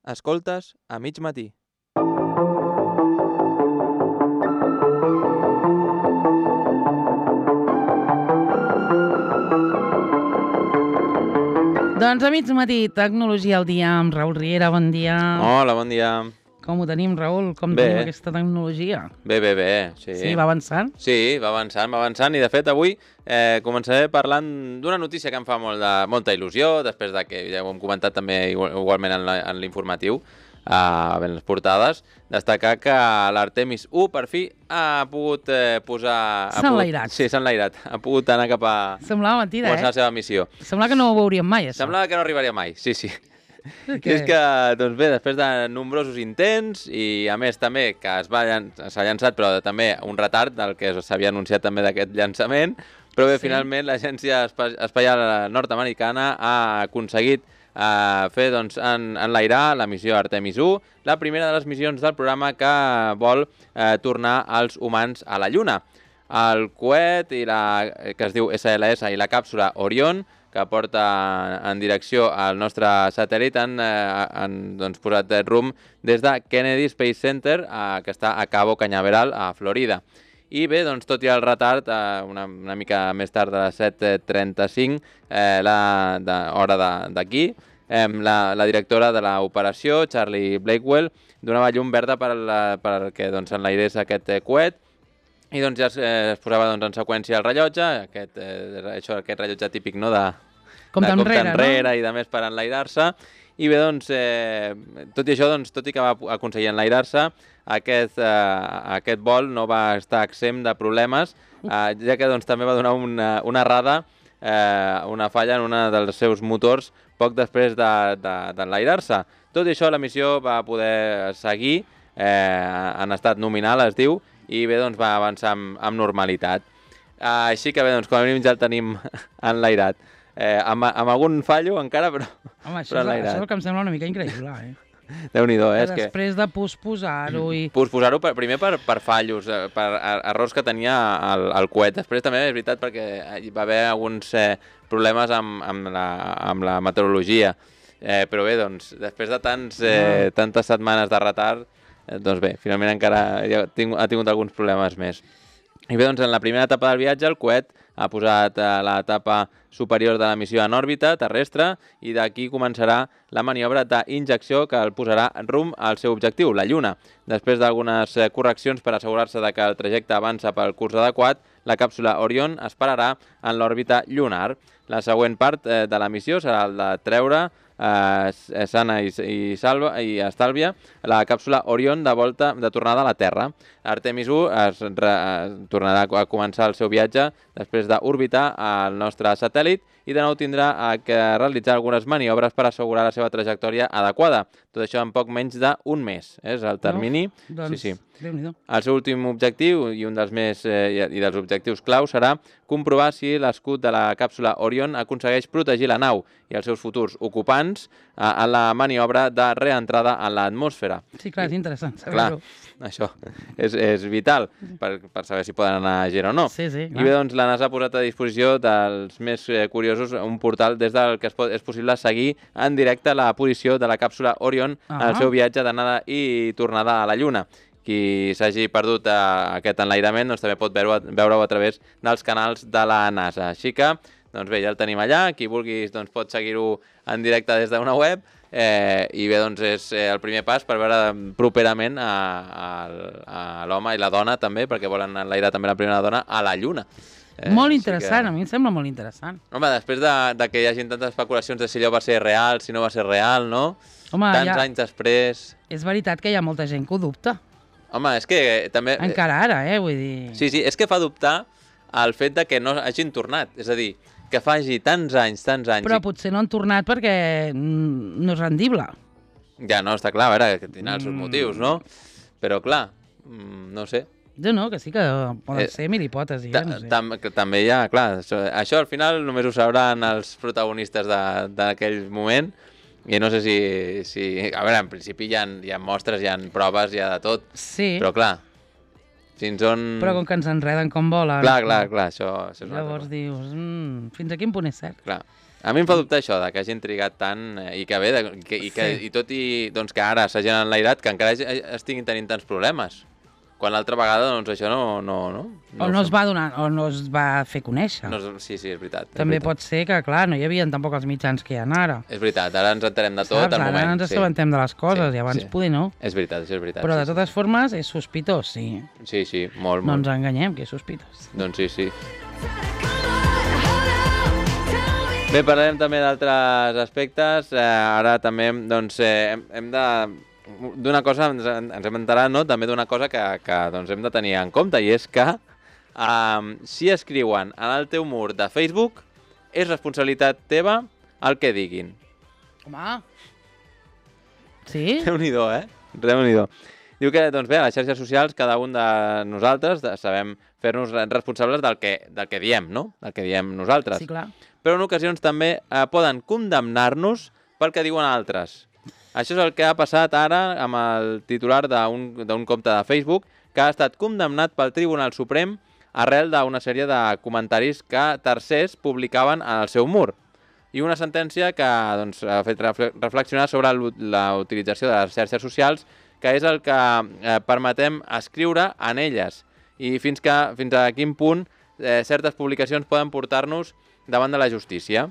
Escoltes a mig matí. Doncs a mig matí, tecnologia al dia amb Raül Riera, bon dia. Hola, bon dia. Com ho tenim, Raül? Com Bé. tenim aquesta tecnologia? Bé, sí. Sí, va avançant? Sí, va avançant i de fet avui començaré parlant d'una notícia que em fa molta il·lusió, després de que ja ho hem comentat també igualment en l'informatiu, en les portades, destacar que l'Artemis 1 per fi ha pogut posar... S'ha enlairat. Sí, s'ha enlairat. Ha pogut anar cap a... Semblava mentida, començar la seva missió. Semblava que no ho veuríem mai, això. Semblava que no arribaria mai, sí. Que... És que, doncs bé, després de nombrosos intents i a més també que s'ha llançat però també un retard del que s'havia anunciat també d'aquest llançament, però bé, finalment l'Agència Espacial Nord-Americana ha aconseguit fer enlairar la missió Artemis 1, la primera de les missions del programa que vol tornar els humans a la Lluna. El coet que es diu SLS i la càpsula Orion, que porta en direcció al nostre satèl·lit, han posat rumb des de Kennedy Space Center, que està a Cabo Cañaveral, a Florida. I bé, doncs, tot i el retard, una mica més tard de les 7:35, hora d'aquí, la directora de l'operació, Charlie Blakewell, donava llum verda perquè enlairés aquest coet, i doncs ja es posava en seqüència el rellotge, aquest rellotge típic, no?, de compte enrere, no? I de més per enlairar-se. I bé, doncs, tot i això, tot i que va aconseguir enlairar-se, aquest vol no va estar exempt de problemes, ja que també va donar una errada, una falla en un dels seus motors poc després d'enlairar-se. Tot i això, la missió va poder seguir en estat nominal, es diu, i bé, doncs va avançar amb normalitat. Així que bé, doncs com a mínim ja el tenim enlairat. Amb algun fallo encara, però home, això és el que em sembla una mica increïble, Déu-n'hi-do, és que... Després de posposar-ho i... Posposar-ho primer per fallos, per errors que tenia el coet. Després també és veritat perquè hi va haver alguns problemes amb la meteorologia. Però bé, doncs, després de tantes setmanes de retard, doncs bé, finalment encara ha tingut alguns problemes més. I bé, doncs, en la primera etapa del viatge, el coet ha posat l'etapa superior de la missió en òrbita terrestre i d'aquí començarà la maniobra d'injecció que el posarà rumb al seu objectiu, la Lluna. Després d'algunes correccions per assegurar-se que el trajecte avança pel curs adequat, la càpsula Orion es pararà en l'òrbita lunar. La següent part de la missió serà el de treure sana i estàlvia la càpsula Orion de tornada a la Terra. Artemis 1 tornarà a començar el seu viatge després d'orbitar el nostre satèl·lit i de nou tindrà que realitzar algunes maniobres per assegurar la seva trajectòria adequada. Tot això en poc menys d'un mes. És el termini. Sí. El seu últim objectiu i un dels objectius clau serà comprovar si l'escut de la càpsula Orion aconsegueix protegir la nau i els seus futurs ocupants en la maniobra de reentrada en l'atmosfera. Sí, clar, és interessant saber-ho. Clar, això és vital per saber si poden anar a Gera o no. Sí, I bé, doncs, la NASA ha posat a disposició dels més curiosos un portal des del que és possible seguir en directe la posició de la càpsula Orion en el seu viatge d'anada i tornada a la Lluna. Qui s'hagi perdut aquest enlairament també pot veure-ho a través dels canals de la NASA. Així que, doncs bé, ja el tenim allà. Qui vulgui pot seguir-ho en directe des d'una web i bé, doncs és el primer pas per veure properament a l'home i la dona també, perquè volen enlairar també la primera dona a la Lluna. Molt interessant, a mi em sembla molt interessant. Home, després de que hi hagi tantes especulacions de si allò va ser real, si no va ser real, no? Home, tants anys després... És veritat que hi ha molta gent que ho dubta. Home, és que també... Encara ara, vull dir... Sí, és que fa dubtar el fet de que no hagin tornat. És a dir, que faci tants anys... Però potser no han tornat perquè no és rendible. Ja, no, està clar, a veure, que tindrà els seus motius, no? Però clar, no sé. Jo no, que sí que poden ser mil hipòtesis. També hi ha, clar, això al final només ho sabran els protagonistes d'aquell moment. I no sé si... A veure, en principi hi ha mostres, hi ha proves, hi ha de tot. Sí. Però clar, fins on... Però com que ens enreden com volen... Clar, això és una Llavors dius, fins a quin punt és cert? Clar. A mi em fa dubtar això, que hagin trigat tant i que bé, i tot i doncs, que ara s'hagin enlairat, que encara estiguin tenint tants problemes. Quan l'altra vegada, doncs això no o no es va donar, o no es va fer conèixer. Sí, és veritat. També pot ser que, clar, no hi havia tampoc els mitjans que hi ha ara. És veritat, ara ens enterem de tot al moment. Ara ens assabentem de les coses i abans poder no. És veritat, això és veritat. Però de totes formes és sospitós, sí. Sí, molt. No ens enganyem, que és sospitós. Doncs sí. Bé, parlarem també d'altres aspectes. Ara també doncs, hem de... D'una cosa, ens hem enterat, no? També d'una cosa que doncs, hem de tenir en compte, i és que si escriuen en el teu mur de Facebook, és responsabilitat teva el que diguin. Home! Sí? Déu-n'hi-do, Déu-n'hi-do. Diu que, doncs bé, a les xarxes socials cada un de nosaltres sabem fer-nos responsables del que diem, no? Del que diem nosaltres. Sí, clar. Però en ocasions també poden condemnar-nos pel que diuen altres. Això és el que ha passat ara amb el titular d'un compte de Facebook que ha estat condemnat pel Tribunal Suprem arrel d'una sèrie de comentaris que tercers publicaven en el seu mur. I una sentència que doncs, ha fet reflexionar sobre la utilització de les xarxes socials, que és el que permetem escriure en elles i fins a quin punt certes publicacions poden portar-nos davant de la justícia.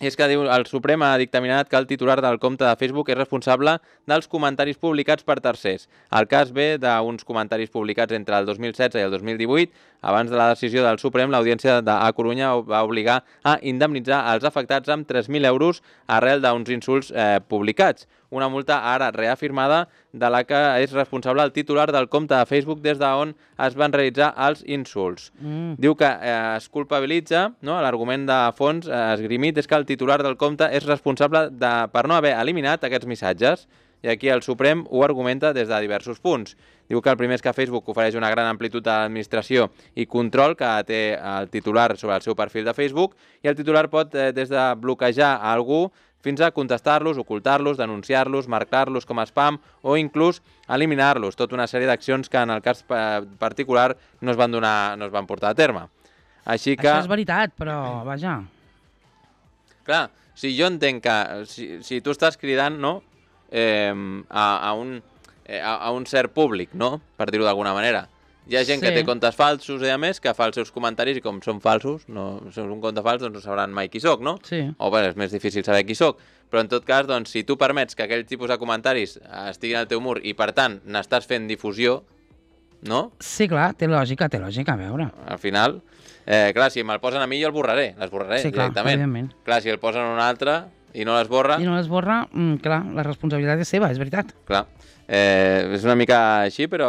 I és que diu, el Suprem ha dictaminat que el titular del compte de Facebook és responsable dels comentaris publicats per tercers. El cas ve d'uns comentaris publicats entre el 2016 i el 2018. Abans de la decisió del Suprem, l'Audiència de Corunya va obligar a indemnitzar els afectats amb 3.000 euros arrel d'uns insults publicats. Una multa ara reafirmada de la que és responsable el titular del compte de Facebook des d'on es van realitzar els insults. Diu que es culpabilitza, no? L'argument de fons esgrimit és que el titular del compte és responsable per no haver eliminat aquests missatges, i aquí el Suprem ho argumenta des de diversos punts. Diu que el primer és que Facebook ofereix una gran amplitud d'administració i control que té el titular sobre el seu perfil de Facebook, i el titular pot des de bloquejar a algú fins a contestar-los, ocultar-los, denunciar-los, marcar-los com a spam o inclús eliminar-los. Tota una sèrie d'accions que en el cas particular no es van portar a terme. Així que... Això és veritat, però vaja... Clar, si jo entenc que si tu estàs cridant, no?, a un cert públic, no?, per dir-ho d'alguna manera. Hi ha gent que té comptes falsos i a més que fa els seus comentaris i com són falsos, si és un compte fals, doncs no sabran mai qui soc, no? Sí. O bé, és més difícil saber qui soc. Però en tot cas, doncs, si tu permets que aquell tipus de comentaris estiguin al teu mur i per tant n'estàs fent difusió, no? Sí, clar, té lògica, a veure. Al final, clar, si me'l posen a mi jo l'esborraré directament. Evidentment. Clar, si el posen a un altre i no l'esborra... I no l'esborra, clar, la responsabilitat és seva, és veritat. Clar. És una mica així, però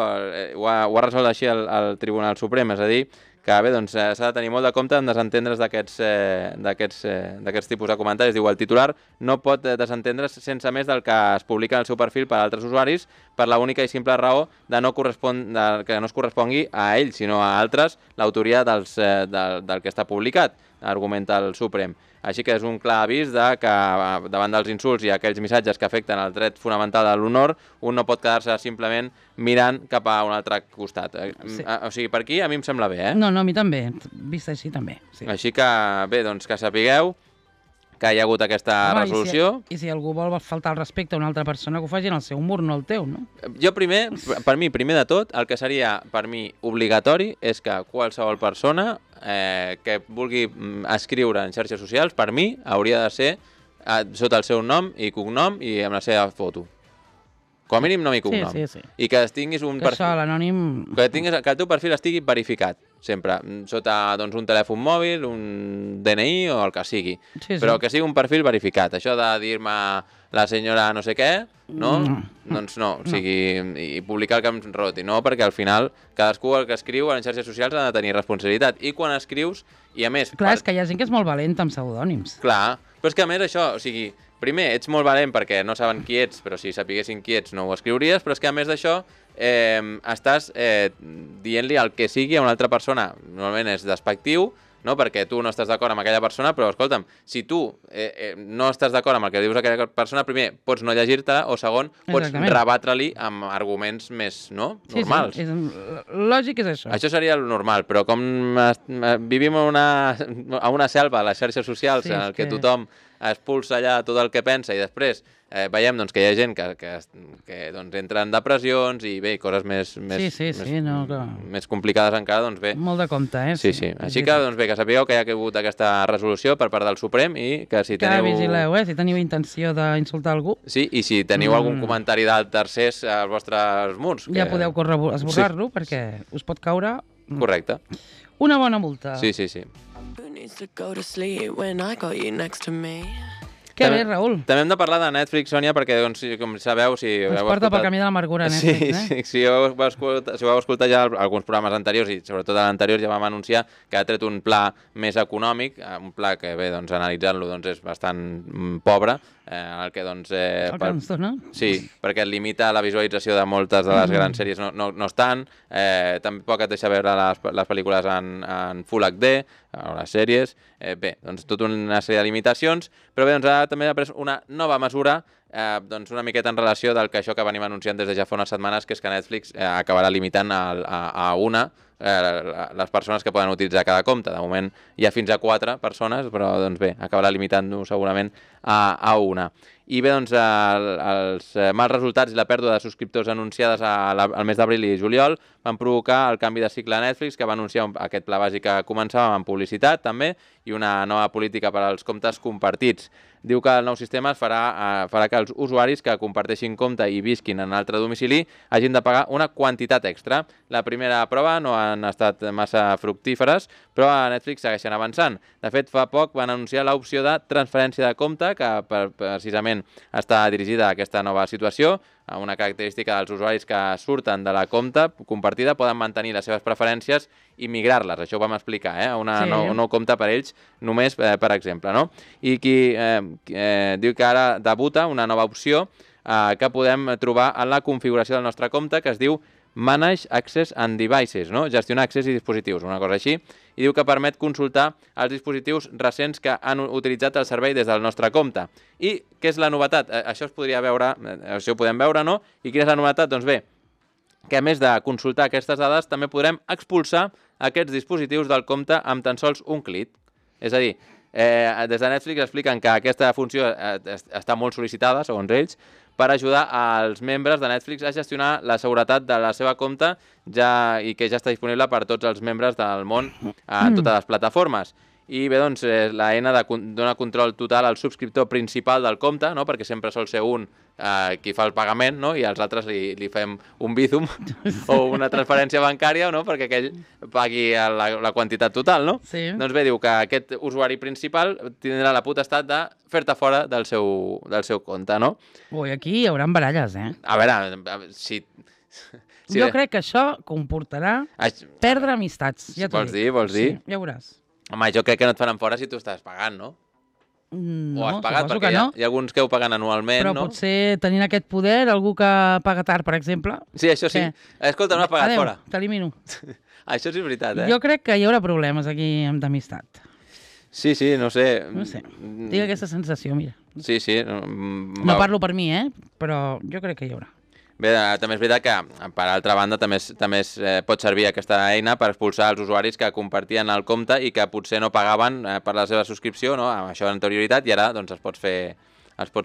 ho ha resolt així el Tribunal Suprem, és a dir, que bé, doncs s'ha de tenir molt de compte en desentendre's d'aquests tipus de comentaris. Diu, el titular no pot desentendre's sense més del que es publica en el seu perfil per a altres usuaris per la única i simple raó que no es correspongui a ell, sinó a altres, l'autoria del que està publicat, argumenta el Suprem. Així que és un clar avís que davant dels insults i aquells missatges que afecten el dret fonamental de l'honor, un no pot quedar-se simplement mirant cap a un altre costat. Sí. O sigui, per aquí a mi em sembla bé, No, a mi també, vist així també. Sí. Així que, bé, doncs que sapigueu que hi ha hagut aquesta resolució. I si algú vol faltar el respecte a una altra persona, que ho faci en el seu mur, no el teu, no? Jo per mi, primer de tot, el que seria per mi obligatori és que qualsevol persona que vulgui escriure en xarxes socials, per mi hauria de ser sota el seu nom i cognom i amb la seva foto. Com a mínim nom i cognom. Sí. I que tinguis un perfil... Això, l'anònim... Que el teu perfil estigui verificat, sempre. Sota un telèfon mòbil, un DNI o el que sigui. Sí. Però que sigui un perfil verificat. Això de dir-me la senyora no sé què, no? Doncs no. O sigui, i publicar el que em roti, no? Perquè al final cadascú el que escriu a les xarxes socials ha de tenir responsabilitat. I quan escrius, i a més... Clar, és que hi ha gent que és molt valenta amb pseudònims. Clar, però és que a més això, o sigui... Primer, ets molt valent perquè no saben qui ets, però si sapiguessin qui ets no ho escriuries, però és que a més d'això estàs dient-li el que sigui a una altra persona. Normalment és despectiu, no? Perquè tu no estàs d'acord amb aquella persona, però escolta'm, si tu no estàs d'acord amb el que dius aquella persona, primer, pots no llegir-te-la, o segon, pots rebatre-li amb arguments més normals. Sí, lògic és això. Això seria el normal, però com vivim a una selva, a les xarxes socials, en el que tothom expulsa allà tot el que pensa i després veiem doncs, que hi ha gent que doncs, entra en depressions i bé, coses més complicades encara, doncs bé. Molt de compte, Sí. Així que, doncs bé, que sapigueu que hi ha hagut aquesta resolució per part del Suprem i que si teniu... Que vigileu, si teniu intenció d'insultar algú. Sí, i si teniu algun comentari de tercers als vostres murs. Ja podeu esborrar-lo perquè us pot caure... Correcte. Una bona multa. Sí. Que bé, Raül. També hem de parlar de Netflix, Sònia, perquè, doncs, com sabeu... Ens porta pel camí de l'amargura, Netflix, Si vau escoltar ja alguns programes anteriors, i sobretot a l'anterior ja vam anunciar que ha tret un pla més econòmic, un pla que, bé, doncs, analitzant-lo, doncs, és bastant pobre, en el que, doncs... El que ens dona? Sí, perquè limita la visualització de moltes de les grans sèries, no estan, tampoc et deixa veure les pel·lícules en Full HD, o les sèries, bé, doncs tota una sèrie de limitacions, però bé, doncs ara també ha pres una nova mesura, doncs una miqueta en relació del que això que venim anunciant des de ja fa unes setmanes, que és que Netflix acabarà limitant a una les persones que poden utilitzar cada compte. De moment hi ha fins a 4 persones, però doncs bé, acabarà limitant-ho segurament a una. I bé, doncs, els mals resultats i la pèrdua de subscriptors anunciades al mes d'abril i juliol van provocar el canvi de cicle a Netflix, que va anunciar aquest pla bàsic que començava amb publicitat, també, i una nova política per als comptes compartits. Diu que el nou sistema farà que els usuaris que comparteixin compte i visquin en altre domicili hagin de pagar una quantitat extra. La primera prova no han estat massa fructíferes, però a Netflix segueixen avançant. De fet, fa poc van anunciar l'opció de transferència de compte, que precisament està dirigida a aquesta nova situació. Una característica dels usuaris que surten de la compta compartida poden mantenir les seves preferències i migrar-les. Això ho vam explicar, un nou compte per ells, només per exemple. No? I qui diu que ara debuta una nova opció que podem trobar en la configuració del nostre compte, que es diu Manage Access and Devices, no? Gestionar accés i dispositius, una cosa així, i diu que permet consultar els dispositius recents que han utilitzat el servei des del nostre compte. I què és la novetat? Això ho podem veure, no? I quina és la novetat? Doncs bé, que a més de consultar aquestes dades, també podrem expulsar aquests dispositius del compte amb tan sols un clic. És a dir, des de Netflix expliquen que aquesta funció està molt sol·licitada, segons ells, per ajudar als membres de Netflix a gestionar la seguretat de la seva compte i que ja està disponible per tots els membres del món en totes les plataformes. I bé, doncs, l'eina dona control total al subscriptor principal del compte, no? Perquè sempre sol ser un qui fa el pagament, no? I als altres li fem un Bizum o una transferència bancària, no? Perquè aquell pagui la quantitat total, no? Sí. Doncs bé, diu que aquest usuari principal tindrà la potestat de fer-te fora del seu compte, no? Ui, aquí hi haurà baralles, A veure, si... Jo crec que això comportarà perdre amistats, ja t'ho dic. Vols dir? Sí, ja veuràs. Home, jo crec que no et faran fora si tu estàs pagant, no? No, o has pagat, suposo perquè que no. Hi ha alguns que ho paguen anualment, però no? Però potser tenint aquest poder, algú que paga tard, per exemple... Sí, això sí. Escolta, no has pagat fora. Adéu, t'elimino. Això sí és veritat, Jo crec que hi haurà problemes aquí d'amistat. Sí, no sé. No sé. Tinc aquesta sensació, mira. Sí. No parlo per mi, però jo crec que hi haurà. Bé, també és veritat que, per altra banda, també pot servir aquesta eina per expulsar els usuaris que compartien el compte i que potser no pagaven per la seva subscripció, no? Amb això d'anterioritat, i ara doncs, els pots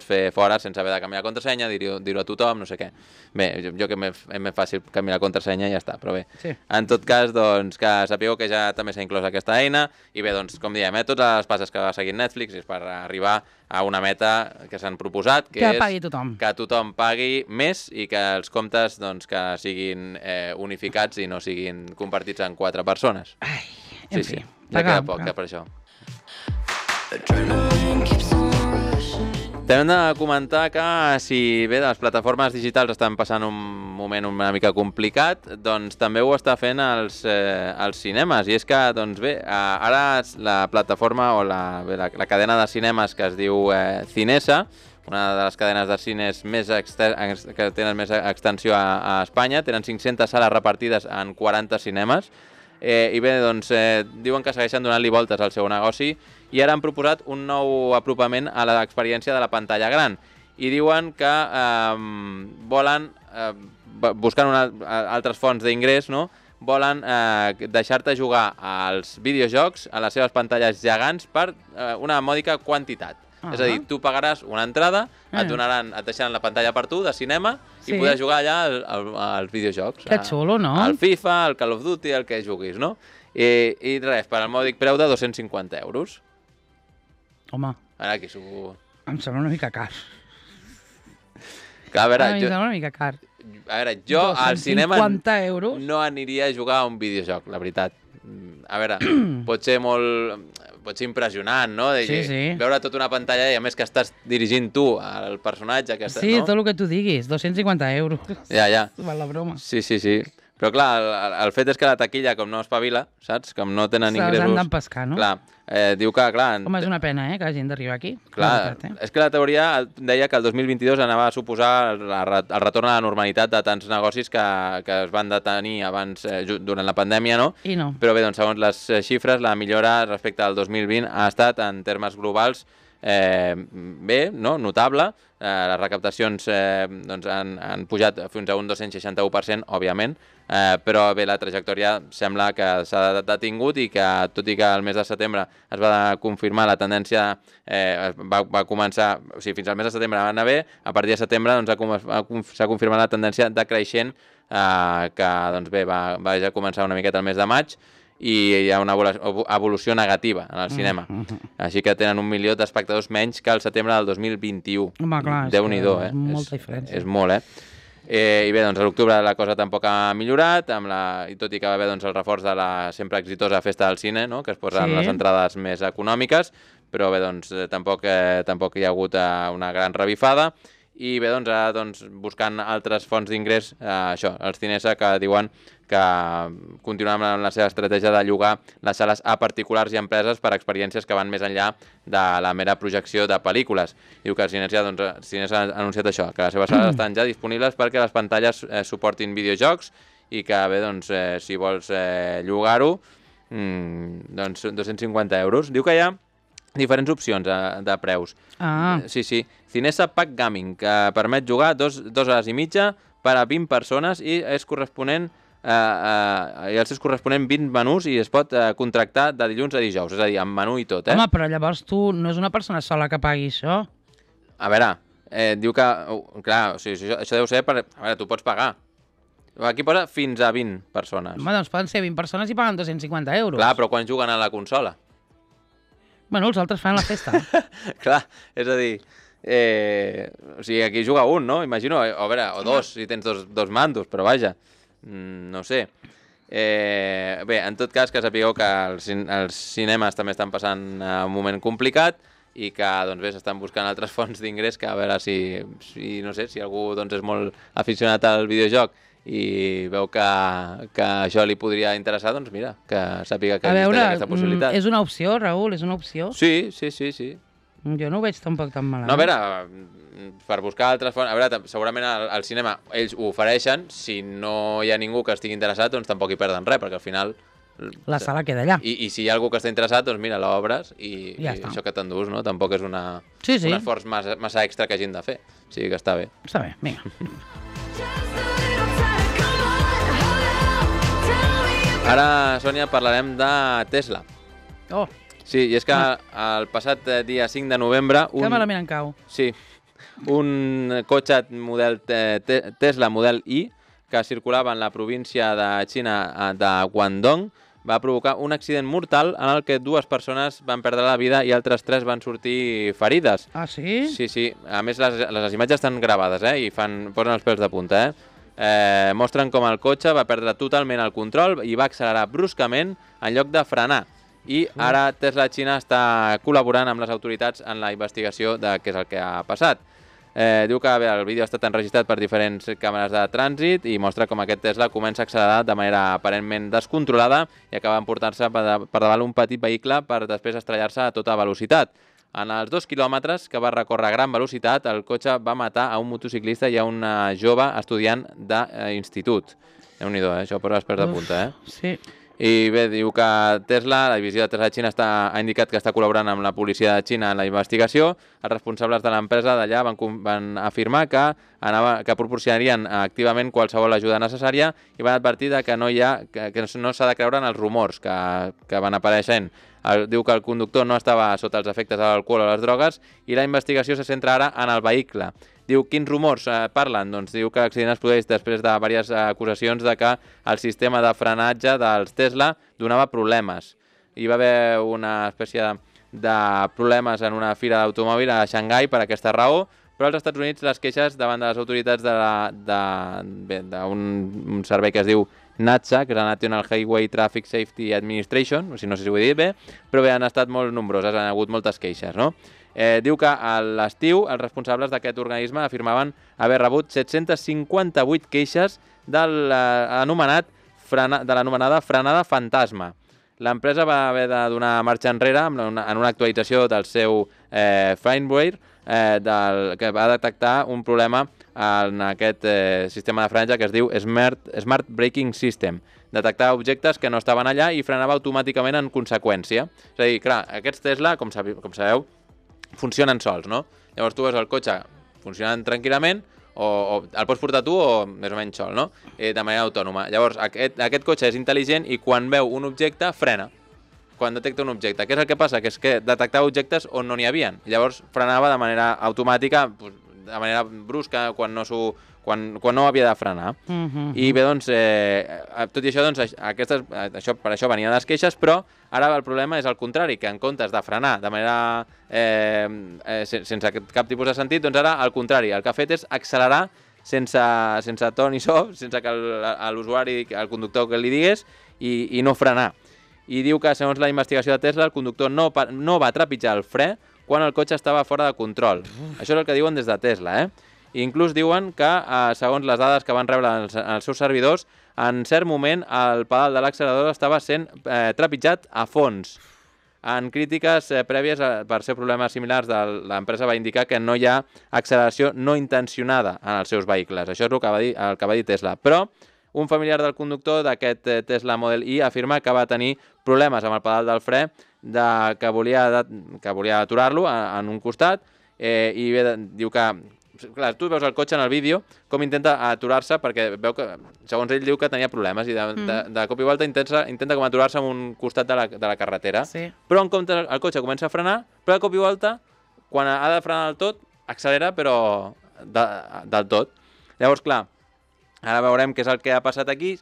fer fora sense haver de canviar la contrasenya, dir-ho a tothom, no sé què. Bé, jo que és més fàcil canviar la contrasenya i ja està, però bé. Sí. En tot cas, doncs, que sapigueu que ja també s'ha inclòs aquesta eina i bé, doncs, com diem, totes les passes que va seguint Netflix és per arribar a una meta que s'han proposat, que és pagui tothom. Que tothom pagui més i que els comptes doncs, que siguin unificats i no siguin compartits en 4 persones. Ai, en fi. Ja queda poc, per això. També hem de comentar que si bé les plataformes digitals estan passant un moment una mica complicat, doncs també ho està fent els cinemes. I és que, doncs bé, ara la plataforma o la cadena de cinemes que es diu Cinesa, una de les cadenes de cines que tenen més extensió a Espanya, tenen 500 sales repartides en 40 cinemes, I bé, doncs, diuen que segueixen donant-li voltes al seu negoci i ara han proposat un nou apropament a l'experiència de la pantalla gran. I diuen que volen, buscant altres fonts d'ingrés, no?, volen deixar-te jugar als videojocs a les seves pantalles gegants per una mòdica quantitat. És a dir, tu pagaràs una entrada, et deixaran la pantalla per tu, de cinema, i podràs jugar allà als videojocs. Que xulo, no? Al FIFA, al Call of Duty, el que juguis, no? I res, per al mòdic preu de 250 euros. Home. Ara, aquí s'ho... Em sembla una mica car. Clar, a veure, em sembla una mica car. A veure, jo al cinema 250 euros? No aniria a jugar a un videojoc, la veritat. A veure, pot ser impressionant, no? Veure tota una pantalla i a més que estàs dirigint tu al personatge. Sí, tot el que tu diguis, 250 euros. Ja. Val la broma. Sí. Però clar, el fet és que la taquilla, com no espavila, saps? Com no tenen ingressos... Se'ls han d'empescar, no? Clar, diu que, clar... Home, és una pena, que hagin d'arribar aquí. Clar, és que la teoria deia que el 2022 anava a suposar el retorn a la normalitat de tants negocis que es van detenir abans, durant la pandèmia, no? I no. Però bé, doncs, segons les xifres, la millora respecte al 2020 ha estat, en termes globals, bé, no? Notable. Les recaptacions han pujat fins a un 261%, òbviament, però bé, la trajectòria sembla que s'ha detingut i que, tot i que el mes de setembre es va confirmar la tendència, va començar, o sigui, fins al mes de setembre va anar bé, a partir de setembre s'ha confirmat la tendència decreixent que, doncs bé, va ja començar una miqueta el mes de maig, i hi ha una evolució negativa en el cinema. Així que tenen 1 milió d'espectadors menys que el setembre del 2021. Home, clar, Déu-n'hi-do, és molta diferència. És molt, I bé, doncs a l'octubre la cosa tampoc ha millorat, i tot i que va haver el reforç de la sempre exitosa Festa del Cine, no?, que es posen les entrades més econòmiques, però bé, doncs tampoc hi ha hagut una gran revifada. I bé, doncs ara buscant altres fonts d'ingrés, això, els Cinesa, que diuen que continuen amb la seva estratègia de llogar les sales a particulars i empreses per experiències que van més enllà de la mera projecció de pel·lícules. Diu que Cinesa ha anunciat això, que les seves sales estan ja disponibles perquè les pantalles suportin videojocs i que bé, doncs, si vols llogar-ho, doncs 250 euros. Diu que hi ha diferents opcions de preus. Sí. Cinesa Pack Gaming, que permet jugar 2 hores i mitja per a 20 persones i els seus corresponent 20 menús, i es pot contractar de dilluns a dijous, és a dir, amb menú i tot. Home, però llavors tu no és una persona sola que pagui això? A veure, diu que... Clar, o sigui, això deu ser per... A veure, tu pots pagar. Aquí posa fins a 20 persones. Home, doncs poden ser 20 persones i paguen 250 euros. Clar, però quan juguen a la consola? Bueno, els altres fan la festa. Clar, és a dir... o sigui, aquí juga un, no? Imagino, o dos, si tens dos mandos, però vaja, no sé. Bé, en tot cas, que sapigueu que els cinemes també estan passant un moment complicat i que, doncs bé, s'estan buscant altres fonts d'ingrés, que a veure si no sé, si algú és molt aficionat al videojoc i veu que això li podria interessar, doncs mira, que sàpiga que existeix aquesta possibilitat. És una opció, Raül, és una opció? Sí. Jo no ho veig tampoc tan malament. No, a veure, per buscar altres fonts... A veure, segurament al cinema ells ho ofereixen, si no hi ha ningú que estigui interessat, doncs tampoc hi perden res, perquè al final... La sala queda allà. I si hi ha algú que està interessat, doncs mira, l'obres i això que t'endús, no? Tampoc és un esforç massa extra que hagin de fer. O sigui que està bé. Està bé, vinga. Ara, Sònia, parlarem de Tesla. Oh. Sí, i és que el passat dia 5 de novembre... Que malament en cau. Sí, un cotxe model Tesla Model I que circulava en la província de Xina de Guangdong va provocar un accident mortal en el que 2 persones van perdre la vida i altres 3 van sortir ferides. Ah, sí? Sí. A més, les imatges estan gravades, i posen els pèls de punta, mostren com el cotxe va perdre totalment el control i va accelerar bruscament en lloc de frenar. I ara Tesla Xina està col·laborant amb les autoritats en la investigació de què és el que ha passat. Diu que el vídeo ha estat enregistrat per diferents càmeres de trànsit i mostra com aquest Tesla comença a accelerar de manera aparentment descontrolada i acaba emportant-se per davant un petit vehicle per després estrellar-se a tota velocitat. En els 2 quilòmetres que va recórrer a gran velocitat, el cotxe va matar a un motociclista i a una jove estudiant d'institut. Déu-n'hi-do, això per les pers de punta, Sí. I bé, diu que Tesla, la divisió de Tesla de Xina, ha indicat que està col·laborant amb la policia de Xina en la investigació. Els responsables de l'empresa d'allà van afirmar que proporcionarien activament qualsevol ajuda necessària i van advertir que no s'ha de creure en els rumors que van apareixent. Diu que el conductor no estava sota els efectes de l'alcohol o les drogues i la investigació se centra ara en el vehicle. Diu, quins rumors parlen? Doncs diu que l'accident es produeix després de diverses acusacions de que el sistema de frenatge dels Tesla donava problemes. Hi va haver una espècie de problemes en una fira d'automòbil a Xangai per aquesta raó, però als Estats Units les queixes davant de les autoritats d'un servei que es diu NHTSA, que és la National Highway Traffic Safety Administration, no sé si ho he dit bé, però bé, han estat molt nombroses, han hagut moltes queixes, no? Diu que a l'estiu els responsables d'aquest organisme afirmaven haver rebut 758 queixes de l'anomenada frenada fantasma. L'empresa va haver de donar marxa enrere en una actualització del seu firmware que va detectar un problema en aquest sistema de frenatge que es diu Smart Braking System. Detectar objectes que no estaven allà i frenava automàticament en conseqüència. És a dir, clar, aquests Tesla, com sabeu, funcionen sols, no? Llavors tu veus el cotxe funcionant tranquil·lament o el pots portar tu o més o menys sol, no? De manera autònoma. Llavors aquest cotxe és intel·ligent i quan veu un objecte frena. Quan detecta un objecte. Què és el que passa? Que és que detectava objectes on no n'hi havia. Llavors frenava de manera automàtica, de manera brusca, quan no havia de frenar. I bé, doncs, tot i això, doncs, per això venien les queixes, però ara el problema és el contrari, que en comptes de frenar de manera sense cap tipus de sentit, doncs ara al contrari, el que ha fet és accelerar sense to ni so, sense que l'usuari, el conductor que li digués, i no frenar. I diu que, segons la investigació de Tesla, el conductor no va trepitjar el fre quan el cotxe estava fora de control. Això és el que diuen des de Tesla, I inclús diuen que, segons les dades que van rebre els seus servidors, en cert moment el pedal de l'accelerador estava sent trepitjat a fons. En crítiques prèvies per ser problemes similars, l'empresa va indicar que no hi ha acceleració no intencionada en els seus vehicles. Això és el que va dir Tesla. Però un familiar del conductor d'aquest Tesla Model Y afirma que va tenir problemes amb el pedal del fre, que volia aturar-lo en un costat, i bé, diu que, clar, tu veus el cotxe en el vídeo com intenta aturar-se perquè veu que, segons ell, diu que tenia problemes i de cop i volta intenta com aturar-se en un costat de la carretera. Sí. Però en compte el cotxe comença a frenar, però de cop i volta, quan ha de frenar del tot, accelera, però del tot. Llavors, clar, ara veurem què és el que ha passat aquí,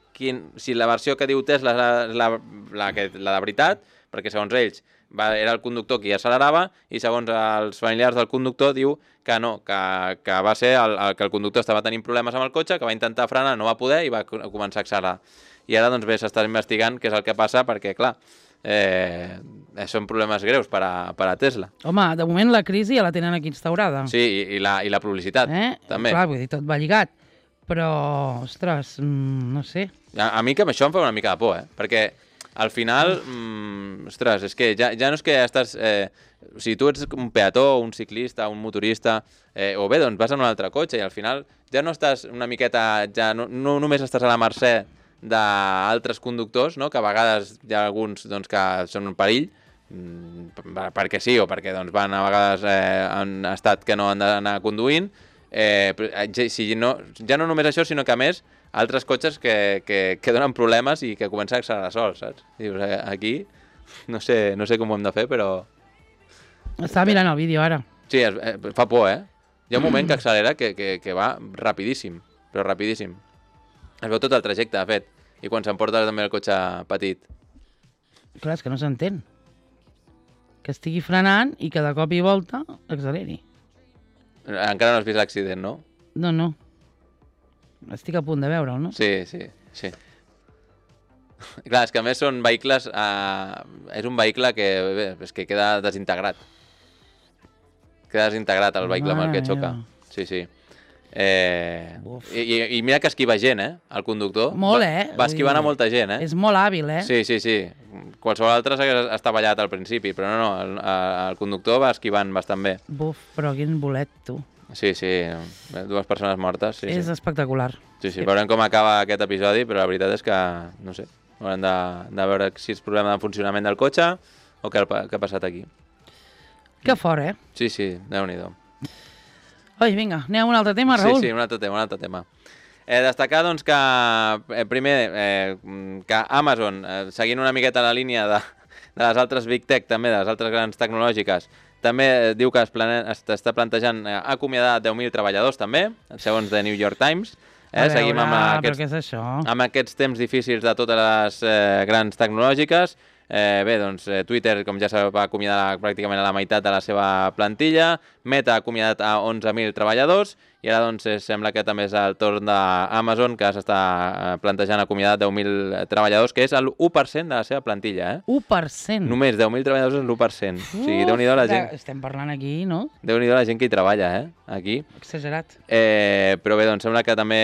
si la versió que diu Tesla és la de veritat, perquè segons ells era el conductor qui accelerava i segons els familiars del conductor diu que no, que va ser que el conductor estava tenint problemes amb el cotxe, que va intentar frenar, no va poder i va començar a accelerar. I ara, doncs bé, s'està investigant què és el que passa perquè, clar, són problemes greus per a Tesla. Home, de moment la crisi ja la tenen aquí instaurada. Sí, i la publicitat, també. Clar, vull dir, tot va lligat. Però, ostres, no sé. A mi que això em fa una mica de por, perquè al final, ostres, és que ja no és que estàs... si tu ets un peató, un ciclista, un motorista, o bé, doncs vas en un altre cotxe i al final ja no estàs una miqueta... ja no només estàs a la mercè d'altres conductors, no? Que a vegades hi ha alguns doncs, que són un perill, perquè sí o perquè doncs, van a vegades en estat que no han d'anar conduint. Ja no només això, sinó que a més altres cotxes que donen problemes i que comencen a accelerar sols, saps? Dius, aquí no sé com ho hem de fer, però... Estava mirant el vídeo ara. Sí, fa por, Hi ha un moment que accelera que va rapidíssim, però rapidíssim. Es veu tot el trajecte, de fet, i quan s'emporta també el cotxe petit. Clar, és que no s'entén. Que estigui frenant i que de cop i volta acceleri. Encara no has vist l'accident, no? No. Estic a punt de veure'l, no? Sí. Clar, és que a més són vehicles... és un vehicle que queda desintegrat. Queda desintegrat el vehicle amb el que xoca. Sí. I mira que esquiva gent, el conductor. Molt, Va esquivant a molta gent, És molt hàbil, Sí. Qualsevol altre està ballat al principi, però no, el conductor va esquivant bastant bé. Buf, però quin bolet, tu. Sí, 2 persones mortes. És espectacular. Sí, veurem com acaba aquest episodi, però la veritat és que, no sé, Haurem de veure si és problema de funcionament del cotxe o què ha passat aquí. Que fort, eh? Sí, Déu-n'hi-do. Oi, vinga, anem a un altre tema, Raül? Sí, un altre tema. Destacar, doncs, que primer, que Amazon, seguint una miqueta la línia de les altres Big Tech, també, de les altres grans tecnològiques, també diu que està plantejant acomiadar 10.000 treballadors, també, segons The New York Times. Seguim amb aquests temps difícils de totes les grans tecnològiques. Doncs Twitter, com ja sabeu, va acomiadar pràcticament a la meitat de la seva plantilla, Meta ha acomiadat a 11.000 treballadors, i ara doncs sembla que també és el torn d'Amazon, que s'està plantejant acomiadar 10.000 treballadors, que és el 1% de la seva plantilla. 1%? Només 10.000 treballadors és l'1%. O sigui, Déu-n'hi-do la gent... Estem parlant aquí, no? Déu-n'hi-do la gent que hi treballa, aquí. Exagerat. Però bé, doncs sembla que també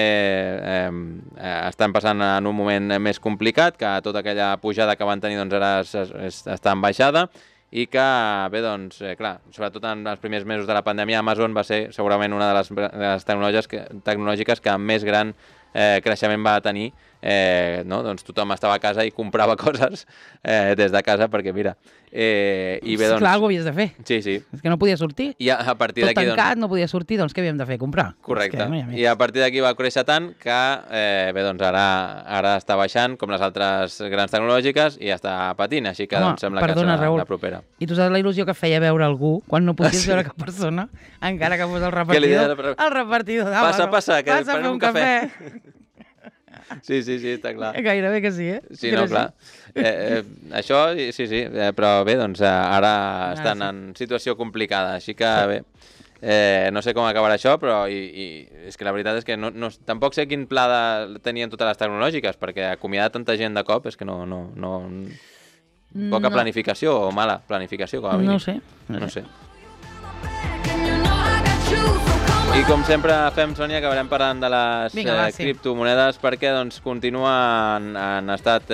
estan passant en un moment més complicat, que tota aquella pujada que van tenir doncs ara està en baixada, i que, bé, doncs, clar, sobretot en els primers mesos de la pandèmia, Amazon va ser segurament una de les tecnològiques que més gran creixement va tenir. Doncs tothom estava a casa i comprava coses des de casa, perquè mira... I bé, doncs... Clar, algo havies de fer. Sí. És que no podia sortir. I a partir d'aquí... Tot tancat, no podia sortir, doncs què havíem de fer? Comprar. Correcte. I a partir d'aquí va créixer tant que, bé, doncs ara està baixant, com les altres grans tecnològiques, i està patint, així que doncs sembla que serà la propera. I tu saps la il·lusió que feia veure algú quan no podies veure cap persona, encara que fos el repartidor? El repartidor d'Amazon. Passa, que passa a fer un cafè. Sí, està clar. Gairebé que sí, Sí, no, clar. Això, sí, però bé, doncs ara estan en situació complicada, així que bé, no sé com acabarà això, però és que la veritat és que tampoc sé quin pla tenien totes les tecnològiques, perquè acomiadar tanta gent de cop és que poca planificació o mala planificació, com a mínim. No sé. I com sempre fem, Sònia, acabarem parlant de les criptomonedes, perquè doncs continuen en estat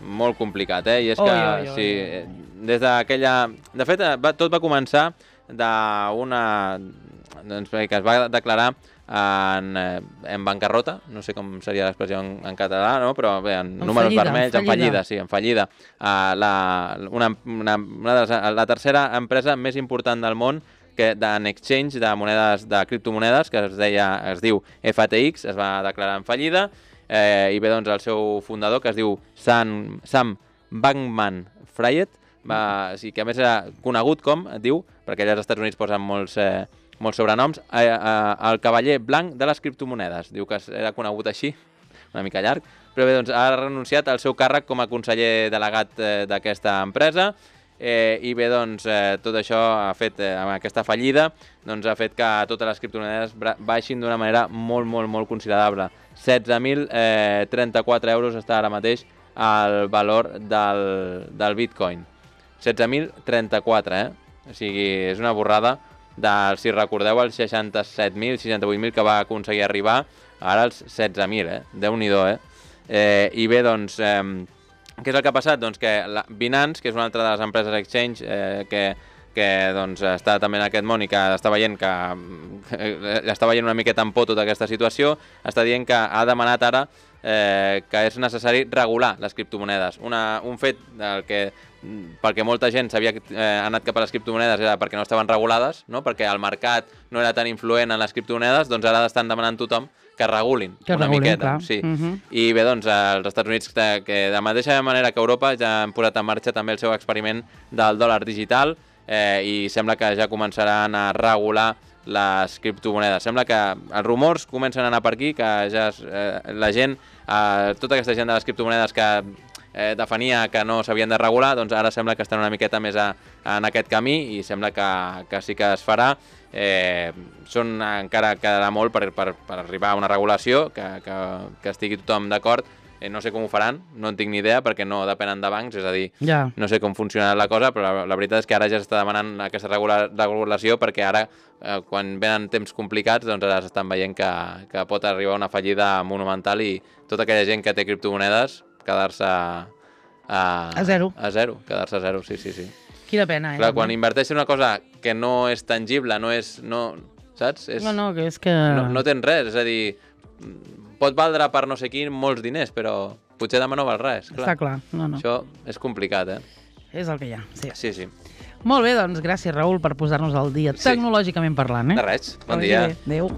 molt complicat, i és que des d'aquella... De fet, tot va començar que es va declarar en bancarrota, no sé com seria l'expressió en català, no? Però bé, en números vermells, en fallida. La tercera empresa més important del món d'en exchange de criptomonedes, que es diu FTX, es va declarar en fallida, i bé, doncs el seu fundador, que es diu Sam Bankman-Fried, que a més era conegut com, diu, perquè allà als Estats Units posen molts sobrenoms, el cavaller blanc de les criptomonedes. Diu que era conegut així, una mica llarg, però bé, doncs ha renunciat al seu càrrec com a conseller delegat d'aquesta empresa, i bé, doncs, tot això ha fet, amb aquesta fallida, doncs ha fet que totes les criptomonedes baixin d'una manera molt considerable. 16.034 euros està ara mateix el valor del Bitcoin. 16.034, O sigui, és una borrada si recordeu, els 67.000, 68.000 que va aconseguir arribar, ara els 16.000, Déu-n'hi-do, I bé, doncs... Què és el que ha passat? Doncs que Binance, que és una altra de les empreses exchange que doncs, està també en aquest món i que està veient una miqueta en por tota aquesta situació, està dient que ha demanat ara que és necessari regular les criptomonedes. Un fet perquè molta gent s'havia anat cap a les criptomonedes era perquè no estaven regulades, no? Perquè el mercat no era tan influent en les criptomonedes, doncs ara estan demanant tothom que regulin una miqueta. Sí. I bé, doncs, als Estats Units, que de la mateixa manera que Europa, ja han posat en marxa també el seu experiment del dòlar digital, i sembla que ja començaran a regular les criptomonedes. Sembla que els rumors comencen a anar per aquí, que ja la gent, tota aquesta gent de les criptomonedes que defenia que no s'havien de regular, doncs ara sembla que estan una miqueta més en aquest camí i sembla que sí que es farà. Encara quedarà molt per arribar a una regulació que estigui tothom d'acord. No sé com ho faran, no en tinc ni idea perquè no depenen de bancs, és a dir, no sé com funcionarà la cosa, però la veritat és que ara ja s'està demanant aquesta regulació perquè ara, quan venen temps complicats, doncs ara s'estan veient que pot arribar una fallida monumental i tota aquella gent que té criptomonedes quedar-se a zero. Quedar-se a zero, sí. Quina pena, Clar, quan inverteixes en una cosa que no és tangible, saps? No, que és que... No tens res, és a dir, pot valdre per no sé quin molts diners, però potser demà no val res. Clar. Està clar, no. Això és complicat, És el que hi ha, sí. Sí. Molt bé, doncs gràcies, Raül, per posar-nos al dia, tecnològicament parlant. De res, bon dia. Adéu.